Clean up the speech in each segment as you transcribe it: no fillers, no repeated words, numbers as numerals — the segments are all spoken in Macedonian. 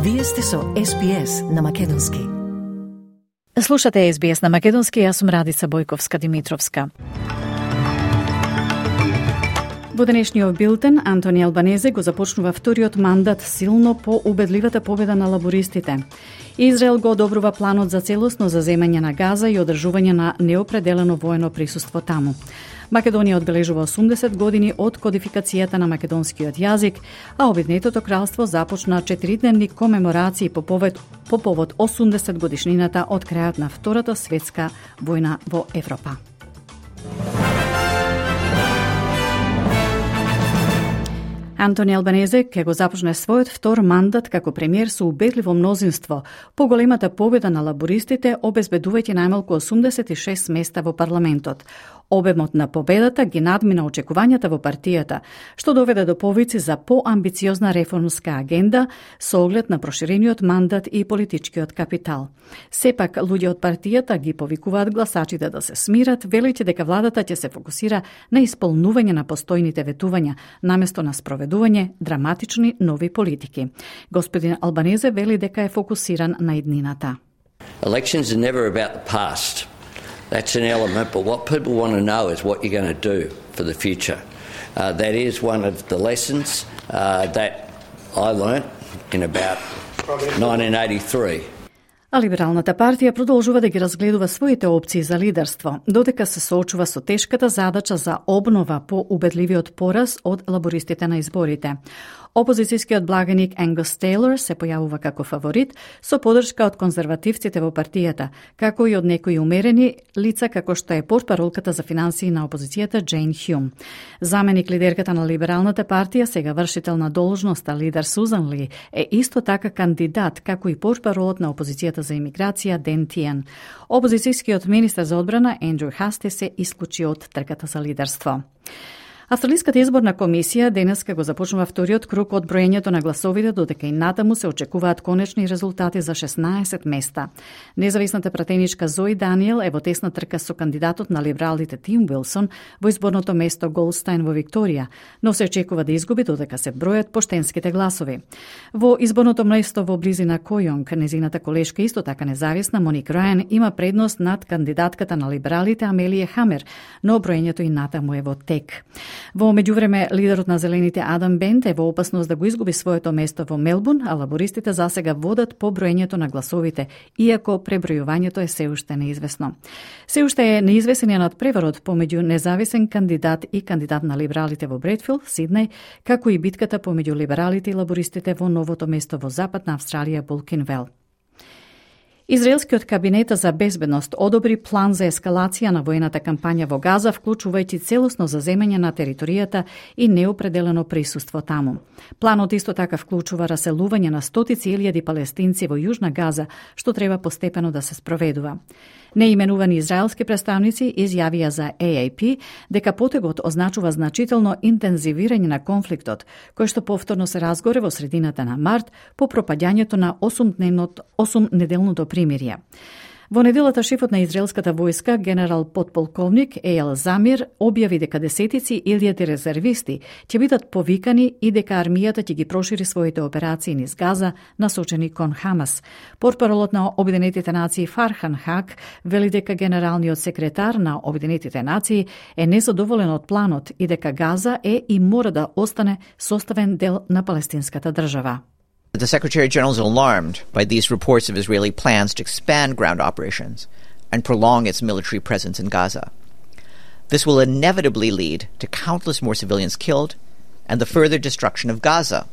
Вие сте со SBS на македонски. Слушате SBS на македонски, јас сум Радица Бојковска-Димитровска. Во денешниот билтен, Антони Албанезе го започнува вториот мандат силно по убедливата победа на лабористите. Израел го одобрува планот за целосно заземање на Газа и одржување на неопределено воено присуство таму. Македонија одбележува 80 години од кодификацијата на македонскиот јазик, а Обединетото кралство започна 4-дневни комеморации по повод 80 годишнината од крајот на Втората светска војна во Европа. Антони Албанезе ќе го започне својот втор мандат како премиер со убедливо мнозинство, по големата победа на лабористите, обезбедувајќи најмалку 86 места во парламентот. Обемот на победата ги надмина очекувањата во партијата, што доведе до повици за поамбициозна реформска агенда со оглед на проширениот мандат и политичкиот капитал. Сепак, луѓе од партијата ги повикуваат гласачите да се смират, велејќи дека владата ќе се фокусира на исполнување на постојните ветувања, наместо на спроведување драматични нови политики. Господин Албанезе вели дека е фокусиран на иднината. Elections are never about the past. That's an element, but what people want to know is what you're going to do for the future. That is one of the lessons that I learnt in about 1983. А Либералната партија продолжува да ги разгледува своите опции за лидерство, додека се соочува со тешката задача за обнова по убедливиот пораз од лабористите на изборите. Опозицијскиот благаник Ангус Тейлор се појавува како фаворит со поддршка од конзервативците во партијата, како и од некои умерени лица како што е портпаролката за финансии на опозицијата Джейн Хјум. Заменик лидерката на Либералната партија, сега вршител на должноста лидер Сузан Ли, е исто така кандидат како и портпаролот на опозицијата за имиграција Ден Тиен. Опозицијскиот министер за одбрана Ендрю Хасте се исклучи од трката за лидерство. Австралиската изборна комисија денеска го започнува вториот круг од броењето на гласовите, додека и натаму се очекуваат конечни резултати за 16 места. Независната пратеничка Зои Даниел е во тесна трка со кандидатот на либералите Тим Уилсон во изборното место Голдстајн во Викторија, но се очекува да изгуби додека се бројат поштенските гласови. Во изборното место во близина Којонг, незината колешка исто така независна Моник Рајан има предност над кандидатката на либералите Амелија Хамер, но броењето и натаму е во тек. Во меѓувреме, лидерот на Зелените Адам Бент е во опасност да го изгуби своето место во Мелбурн, а лабористите засега водат по броењето на гласовите, иако пребројувањето е се уште неизвестно. Се уште е неизвестениот преварот помеѓу независен кандидат и кандидат на либералите во Бредфилд, Сиднеј, како и битката помеѓу либералите и лабористите во новото место во Западна Австралија, Булкинвел. Израелскиот кабинет за безбедност одобри план за ескалација на воената кампања во Газа, вклучувајќи целосно заземање на територијата и неопределено присуство таму. Планот исто така вклучува раселување на стотици илјади палестинци во Јужна Газа, што треба постепено да се спроведува. Неименувани израелски представници изјавија за AAP дека потегот означува значително интензивирање на конфликтот, кој што повторно се разгоре во средината на март по пропаѓањето на 8-неделното примирие. Во неделата шефот на израелската војска, генерал подполковник Ејал Замир, објави дека десетици илјади резервисти ќе бидат повикани и дека армијата ќе ги прошири своите операции низ Газа, насочени кон Хамас. Портпаролот на Обединетите нации Фархан Хак вели дека генералниот секретар на Обединетите нации е незадоволен од планот и дека Газа е и мора да остане составен дел на палестинската држава. The Secretary General is alarmed by these reports of Israeli plans to expand ground operations and prolong its military presence in Gaza. This will inevitably lead to countless more civilians killed and the further destruction of Gaza.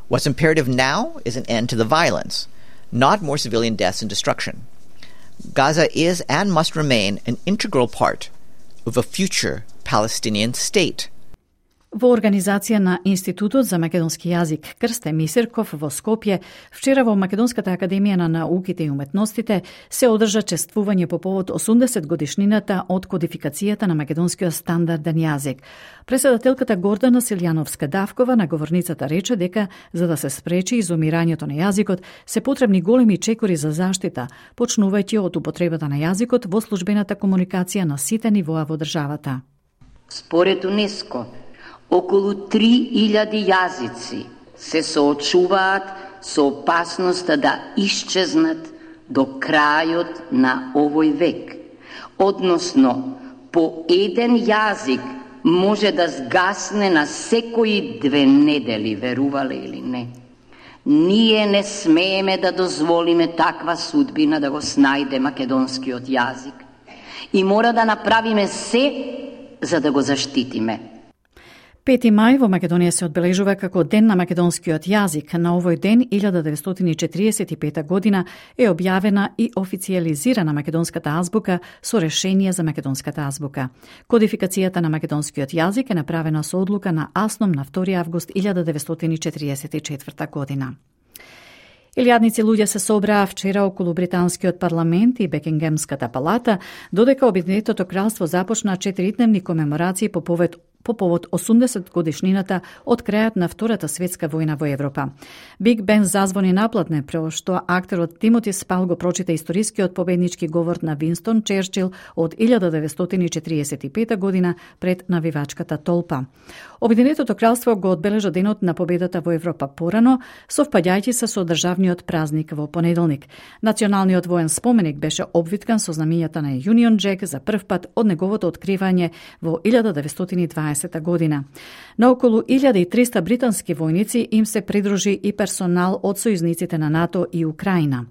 What's imperative now is an end to the violence, not more civilian deaths and destruction. Gaza is and must remain an integral part of a future Palestinian state. Во организација на Институтот за македонски јазик Крсте Мисирков во Скопје, вчера во Македонската академија на науките и уметностите се одржа чествување по повод 80 годишнината од кодификацијата на македонскиот стандарден јазик. Председателката Гордана Силјановска-Давкова на говорницата рече дека за да се спречи изумирањето на јазикот се потребни големи чекори за заштита, почнувајќи од употребата на јазикот во службената комуникација на сите нивоа во државата. Според УНЕСКО, околу 3000 јазици се соочуваат со опасноста да исчезнат до крајот на овој век. Односно, по еден јазик може да сгасне на секои 2 недели, верувале или не. Ние не смееме да дозволиме таква судбина да го снајде македонскиот јазик. И мора да направиме се за да го заштитиме. 5. мај во Македонија се одбележува како Ден на македонскиот јазик. На овој ден, 1945 година, е објавена и официјализирана македонската азбука со решение за македонската азбука. Кодификацијата на македонскиот јазик е направена со одлука на АСНОМ на 2. август 1944 година. Илјадници луѓе се собраа вчера околу британскиот парламент и Бекингемската палата, додека Обединетото кралство започна 4-дневни комеморации по повод 80 годишнината од крајот на Втората светска војна во Европа. Биг Бен зазвони наплатне, прво што актерот Тимоти Спал го прочита историскиот победнички говор на Винстон Черчил од 1945 година пред навивачката толпа. Обединетото кралство го одбележа денот на победата во Европа порано, совпаѓајќи се со државниот празник во понеделник. Националниот воен споменик беше обвиткан со знамињата на Union Jack за прв пат од неговото откривање во 1920 година. На околу 1300 британски војници им се придружи и персонал од сојузниците на НАТО и Украина.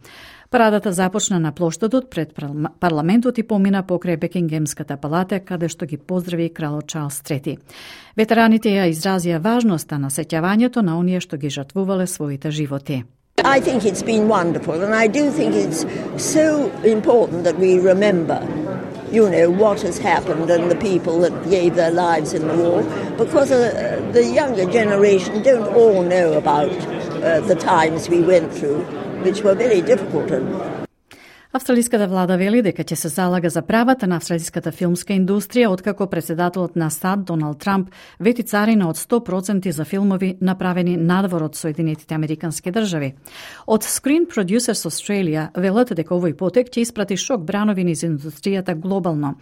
Парадата започна на плоштадот пред парламентот и помина покрај Бекингемската палата, каде што ги поздрави кралот Чарлс III. Ветераните ја изразија важноста на сеќавањето на оние што ги жртвувале своите животи. I think it's been wonderful, and I do think it's so important that we remember, what has happened and the people that gave their lives in the war, because the younger generation don't all know about the times we went through, which were very difficult. Австралиската влада вели дека ќе се залага за правата на австралиската филмска индустрија, откако председателот на САД Доналд Трамп вети царина од 100% за филмови направени надвор од Соединетите Американски држави. Од Screen Producers Australia велат дека овој потек ќе испрати шок брановини за индустријата глобално.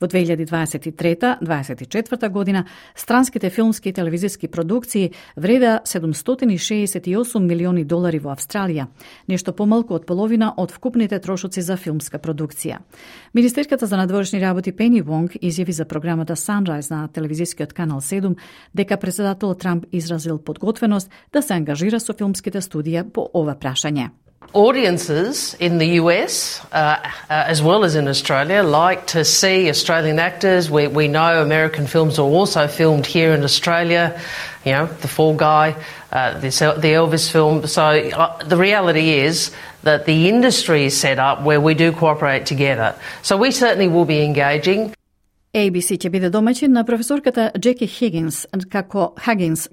Во 2023-2024 година странските филмски и телевизиски продукции вреда $768 милиони во Австралија, нешто помалку од половина од вкупните трошоци за филмска продукција. Министерката за надворешни работи Пени Вонг изјави за програмата Sunrise на телевизискиот канал 7 дека председателот Трамп изразил подготвеност да се ангажира со филмските студија по ова прашање. Audiences in the US, as well as in Australia, like to see Australian actors. We know American films are also filmed here in Australia, The Fall Guy, the Elvis film. So the reality is that the industry is set up where we do cooperate together. So we certainly will be engaging. ABC ќе биде домаќин на професорката Джеки Хагинс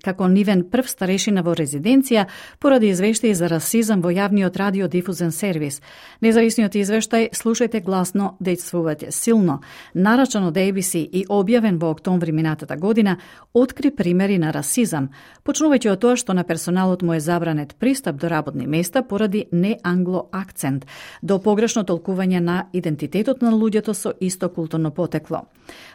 како нивен прв старешина во резиденција поради извештаи за расизам во јавниот радиодифузен сервис. Независниот извештај "Слушајте гласно, дејствувате силно", нарачан од ABC и објавен во октомври минатата година, откри примери на расизам, почнувајќи од тоа што на персоналот му е забранет пристап до работни места поради неангло акцент, до погрешно толкување на идентитетот на луѓето со исто културно потекло.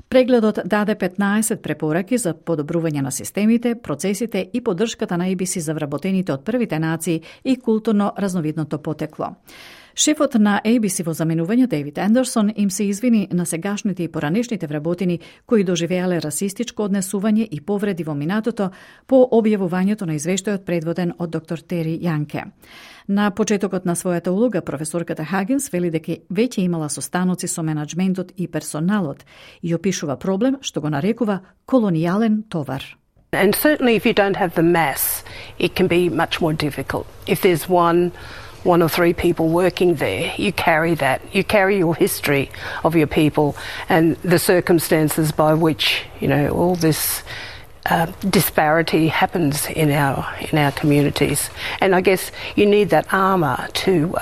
Прегледот даде 15 препораки за подобрување на системите, процесите и поддршката на ABC за вработените од првите нации и културно разновидното потекло. Шефот на ABC во заменување Дейвид Андерсон им се извини на сегашните и поранешните вработени кои доживеале расистичко однесување и повреди во минатото по објавувањето на извештајот предводен од доктор Тери Јанке. На почетокот на својата улога, професорката Хагинс вели дека веќе имала состаноци со менаџментот и персоналот и опишува проблем што го нарекува колонијален товар. And certainly if you don't have the mass, it can be much more difficult. If there's one or three people working there, you carry that. You carry your history of your people and the circumstances by which, all this disparity happens in our communities. And I guess you need that armour to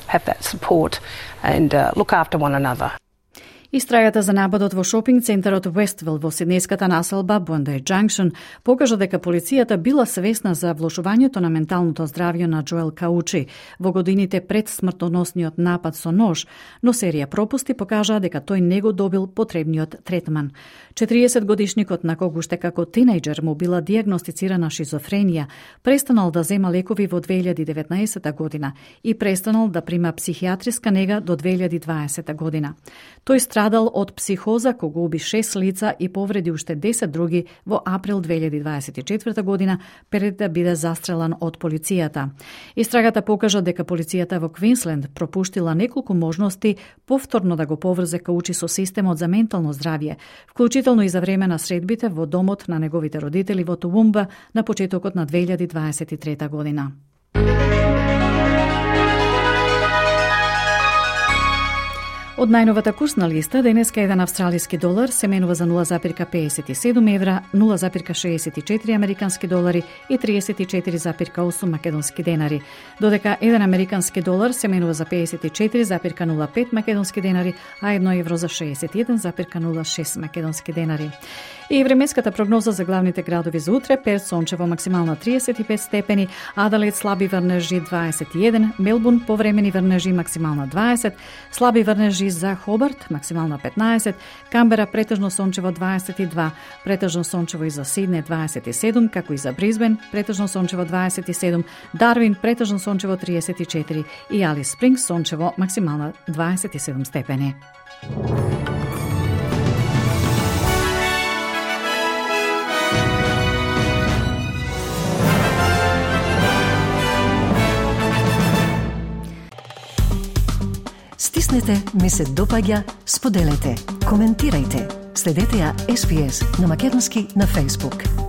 have that support and look after one another. Истрајата за нападот во шопинг центарот Westville во сиднејската населба Bondi Junction покажа дека полицијата била свесна за влошувањето на менталното здравје на Джоел Каучи во годините пред смртоносниот напад со нож, но серија пропусти покажаа дека тој не го добил потребниот третман. 40-годишникот, на кого уште како тинејџер му била дијагностицирана шизофренија, престанал да зема лекови во 2019 година и престанал да прима психијатриска нега до 2020 година. Тој страдал од психоза кога уби 6 лица и повреди уште 10 други во април 2024 година пред да биде застрелан од полицијата. Истрагата покажа дека полицијата во Квинсленд пропуштила неколку можности повторно да го поврзе Каучи со системот за ментално здравје, вклучително и за време на средбите во домот на неговите родители во Тувумба на почетокот на 2023 година. Од најновата курсна листа, денеска еден австралиски долар се менува за 0,57 евра, 0,64 американски долари и 34,8 македонски денари, додека еден американски долар се менува за 54,05 македонски денари, а 1 евро за 61,06 македонски денари. И временската прогноза за главните градови за утре: Перт сончево максимална 35 степени, Аделаид слаби врнежи 21, Мелбурн повремени врнежи максимална 20, слаби врнежи за Хобарт максимална 15, Камбера претежно сончево 22, претежно сончево и за Сидне 27, како и за Бризбен претежно сончево 27, Дарвин претежно сончево 34 и Алис Спрингс сончево максимална 27 степени. Стиснете, ми се допаѓа, споделете, коментирајте. Следете ја SPS на Македонски на Facebook.